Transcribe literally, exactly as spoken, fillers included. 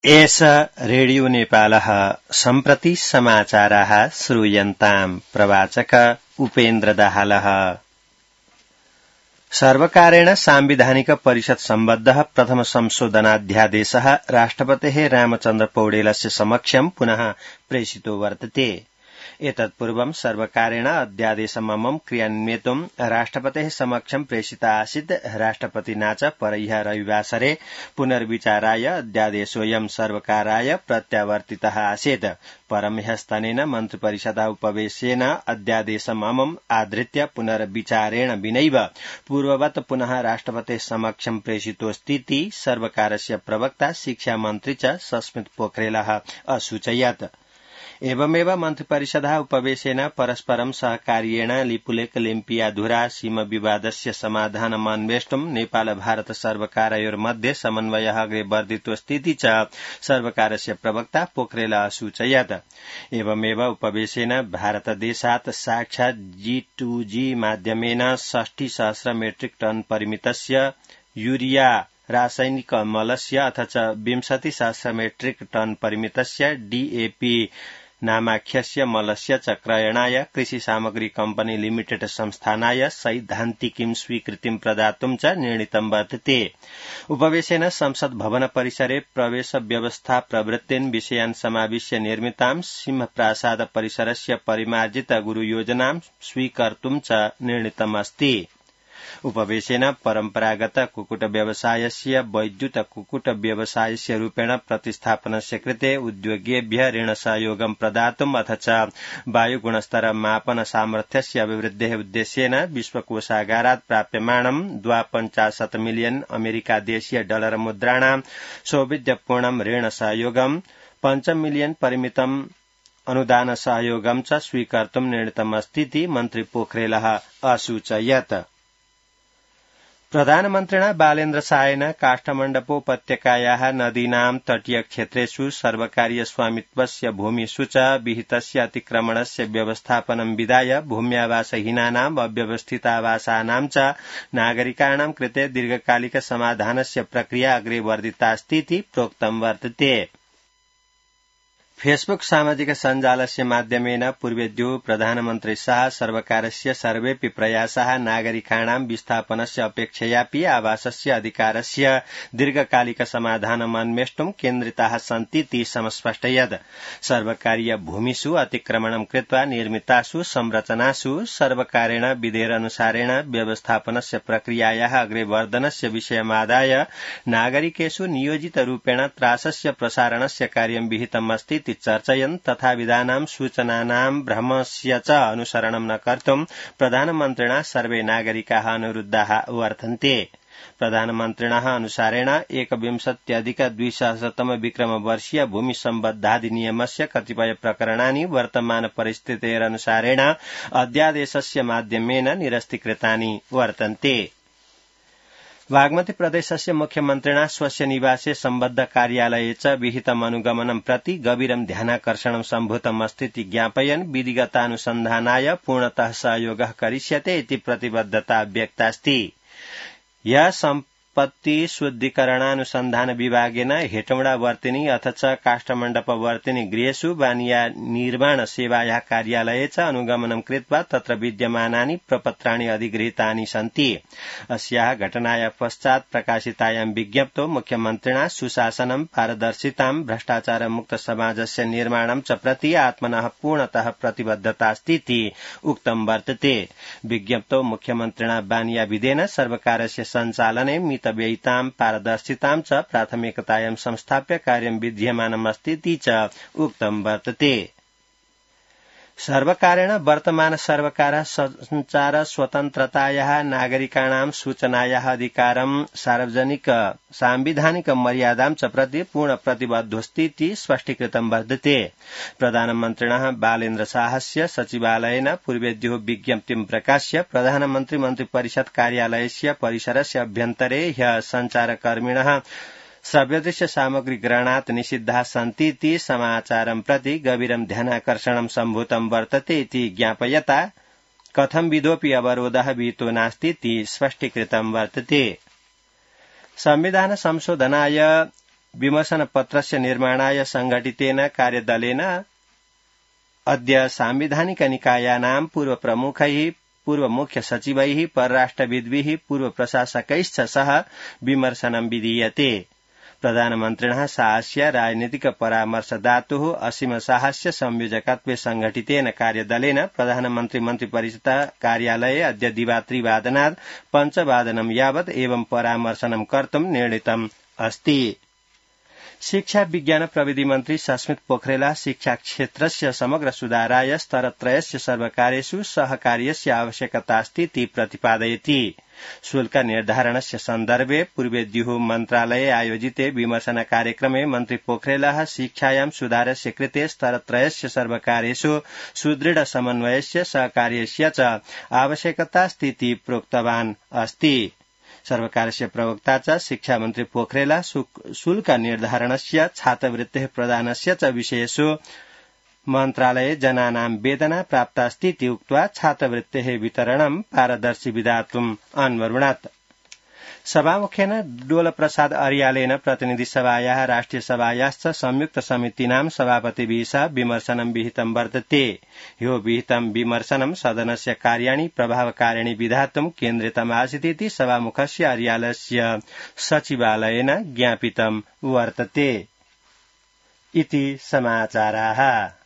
एष रेडियो नेपालः सम्प्रति समाचाराः श्रूयन्ताम् प्रवाचक उपेन्द्र दाहालः। सर्वकारेण सांविधानिक परिषद सम्बद्धः प्रथम संशोधनाध्यादेशः राष्ट्रपतेः रामचन्द्र पौडेलस्य समक्षं पुनः प्रेषितो वर्तते। एतत्पूर्वं सर्वकारेण अध्यादेशममं क्रियान्वेतुं राष्ट्रपतेः समक्षं प्रेषिता आसीत्। राष्ट्रपतिना च परह्य रविवासरे पुनर्विचाराय अध्यादेशोऽयं सर्वकाराय प्रत्यावर्तितः आसीत्। परं ह्यस्तनेन मन्त्रिपरिषदा उपवेशेन अध्यादेशममम् आधृत्य पुनर्विचारेण विनैव पूर्ववत् पुनः राष्ट्रपतेः समक्षं प्रेषितोऽस्तीति सर्वकारस्य प्रवक्ता शिक्षामन्त्री च सस्मित पोखरेलः असूचयत्। एवमेव मन्त्रिपरिषदा उपवेशेन परस्परं सहकार्येण लिपुलेख लिम्पियाधुरा सीम विवादस्य समाधानमन्वेष्टुं नेपाल भारत सर्वकारयोर्मध्ये समन्वयः अग्रे वर्धितोऽस्तीति च सर्वकारस्य प्रवक्ता पोखरेल असूचयत्। एवमेव उपवेशेन भारतदेशात् साक्षात् जी टू जी माध्यमेन षष्टि सहस्र मेट्रिक टन परिमितस्य यूरिया रासायनिक मलस्य अथ च विंशति सहस्र मेट्रिक टन परिमितस्य डीएपी नामाख्यस्य मलस्य च क्रयणाय कृषि सामग्री कम्पनी लिमिटेड संस्थानाय सैद्धान्तिकीं स्वीकृतिं प्रदातुं च निर्णीतं वर्तते। उपवेशेन संसद भवन परिसरे प्रवेश व्यवस्था प्रवृत्तिन् विषयान् समाविश्य निर्मितां सिंहप्रासाद परिसरस्य परिमार्जित गुरुयोजनां स्वीकर्तुं च निर्णीतमस्ति। उपवेशेन परम्परागत कुक्कुट व्यवसायस्य वैद्युत कुक्कुट व्यवसायस्य रूपेण प्रतिस्थापनस्य कृते उद्योगेभ्यः ऋण सहयोगं प्रदातुम् अथ च वायुगुणस्तर मापन सामर्थ्यस्य अभिवृद्धेः उद्देश्येन विश्वकोषागारात् प्राप्यमाणं द्वापञ्चाशत् मिलियन अमेरिका देशीय डॉलर मुद्राणां सौविध्यपूर्णं ऋण सहयोगं पञ्च मिलियन परिमितम् अनुदान सहयोगं च स्वीकर्तुं निर्णीतमस्तीति मन्त्री पोखरेलः असूचयत्। प्रधानमन्त्रिणा बालेन्द्र शाहेन काष्ठमण्डपोपत्यकायाः नदीनां तटीय क्षेत्रेषु सर्वकारीय स्वामित्वस्य भूमिषु च विहितस्य अतिक्रमणस्य व्यवस्थापनं विधाय भूम्यावासहीनानाम् अव्यवस्थितावासानां च नागरिकाणां कृते दीर्घकालिक समाधानस्य प्रक्रिया अग्रे वर्धितास्तीति प्रोक्तं वर्तते। फेसबुक सामाजिक सञ्जालस्य माध्यमेन पूर्वेद्यो प्रधानमन्त्री शाह सर्वकारस्य सर्वेऽपि प्रयासाः नागरिकाणां विस्थापनस्य अपेक्षयापि आवासस्य अधिकारस्य दीर्घकालिक समाधानमन्वेष्टुं केन्द्रिताः सन्तीति समस्पष्टयत्। सर्वकारीय भूमिषु अतिक्रमणं कृत्वा निर्मितासु संरचनासु सर्वकारेण विधेयनुसारेण व्यवस्थापनस्य प्रक्रियायाः अग्रेवर्धनस्य विषयमादाय नागरिकेषु नियोजितरूपेण त्रासस्य प्रसारणस्य कार्यं विहितमस्ति चर्चयन् तथा विधानां सूचनानां भ्रमस्य च अनुसरणं न कर्तुं प्रधानमन्त्रिणा सर्वे नागरिकाः अनुरुद्धाः वर्तन्ते। प्रधानमन्त्रिणः अनुसारेण एकविंशत्यधिक द्विसहस्रतम विक्रमवर्षीय भूमि सम्बद्धाधिनियमस्य कतिपय प्रकरणानि वर्तमान परिस्थितेरनुसारेण अध्यादेशस्य माध्यमेन निरस्तीकृतानि वर्तन्ते। बागमती प्रदेशस्य मुख्यमन्त्रिणा स्वस्य निवासे सम्बद्ध कार्यालये च विहितम् अनुगमनं प्रति गभीरं ध्यानाकर्षणं सम्भूतमस्तीति ज्ञापयन् विधिगतानुसन्धानाय पूर्णतः सहयोगः करिष्यते इति प्रतिबद्धता व्यक्तास्ति। यह सम्पत्ति शुद्धिकरणानुसन्धान विभागेन हेटौडा वर्तिनी अथ च काष्ठमण्डप वर्तिनी गृहेषु वानिया निर्माण सेवायाः कार्यालये च अनुगमनं कृत्वा तत्र विद्यमानानि प्रपत्राणि अधिगृहीतानि सन्ति। अस्याः घटनायाः पश्चात् प्रकाशितायां विज्ञप्तौ मुख्यमन्त्रिणा सुशासनं पारदर्शितां भ्रष्टाचारमुक्त समाजस्य निर्माणं च प्रति आत्मनः पूर्णतः प्रतिबद्धतास्तीति उक्तं वर्तते। विज्ञप्तौ मुख्यमन्त्रिणा वानिया विधेन सर्वकारस्य सञ्चालने मितव्ययितां पारदर्शितां च प्राथमिकतायां संस्थाप्य कार्यं विद्यमानमस्तीति च उक्तं वर्तते। सर्वकारेण वर्तमान सर्वकारः संचार स्वतन्त्रतायाः नागरिकाणां सूचनायाः अधिकारं सार्वजनिक सांविधानिक मर्यादां च प्रति पूर्ण प्रतिबद्धोऽस्तीति स्पष्टीकृतं वर्तते। प्रधानमन्त्रिणः बालेन्द्र शाहस्य सचिवालयेन पूर्वेद्यो विज्ञप्तिं प्रकाश्य प्रधानमन्त्री मन्त्रिपरिषद कार्यालयस्य परिसरस्य अभ्यन्तरे ह्यः सञ्चारकर्मिणः श्रव्यदृश्य सामग्री ग्रहणात् निषिद्धाः सन्तीति समाचारं प्रति गभीरं ध्यानाकर्षणं सम्भूतं वर्तते इति ज्ञापयता कथं विधोऽपि अवरोधः विहितो नास्तीति स्पष्टीकृतं वर्तते। संविधान संशोधनाय विमर्शनपत्रस्य निर्माणाय संघटितेन कार्यदलेन अद्य सांविधानिक निकायानां पूर्व प्रमुखैः पूर्व मुख्य सचिवैः परराष्ट्रविद्भिः पूर्व प्रशासकैश्च सह विमर्शनं विधीयते। प्रधानमन्त्रिणः साहस्य राजनीतिक परामर्शदातुः असीम साहस्य संयोजकत्वे संघटितेन कार्यदलेन प्रधानमन्त्री मन्त्रिपरिषद कार्यालये अद्य दिवात्रिवादनात् पञ्चवादनं यावत् एवं परामर्शनं कर्तुं निर्णीतम् अस्ति। शिक्षा विज्ञान प्रविधि मन्त्री सस्मित पोखरेल शिक्षा क्षेत्रस्य समग्र सुधाराय स्तरत्रयस्य सर्वकारेषु सहकार्यस्य आवश्यकतास्ति इति प्रतिपादयति। शुल्क निर्धारणस्य सन्दर्भे पूर्वेद्युः मन्त्रालये आयोजिते विमर्शन कार्यक्रमे मन्त्री पोखरेलः शिक्षायां सुधारस्य कृते स्तरत्रयस्य सर्वकारेषु सुदृढ समन्वयस्य सहकार्यस्य च आवश्यकतास्ति इति प्रोक्तवान् अस्ति। सर्वकारस्य प्रवक्ता च शिक्षा मन्त्री पोखरेल शुल्क निर्धारणस्य छात्रवृत्तेः प्रदानस्य च विषयेषु मन्त्रालये जनानां वेदना प्राप्तास्ति इति उक्त्वा छात्रवृत्तेः वितरणं पारदर्शी विधातुम् अन्वरुणत्। सभामुखेन डोलप्रसाद अर्यालेन प्रतिनिधि सभायाः राष्ट्रिय सभायाश्च संयुक्त समितीनां सभापतिभिः सह विमर्शनं विहितं वर्तते। ह्यो विहितं विमर्शनं सदनस्य कार्याणि प्रभावकारिणि विधातुं केन्द्रितमासीत् इति सभामुखस्य अर्यालस्य सचिवालयेन ज्ञापितं वर्तते। इति समाचाराः।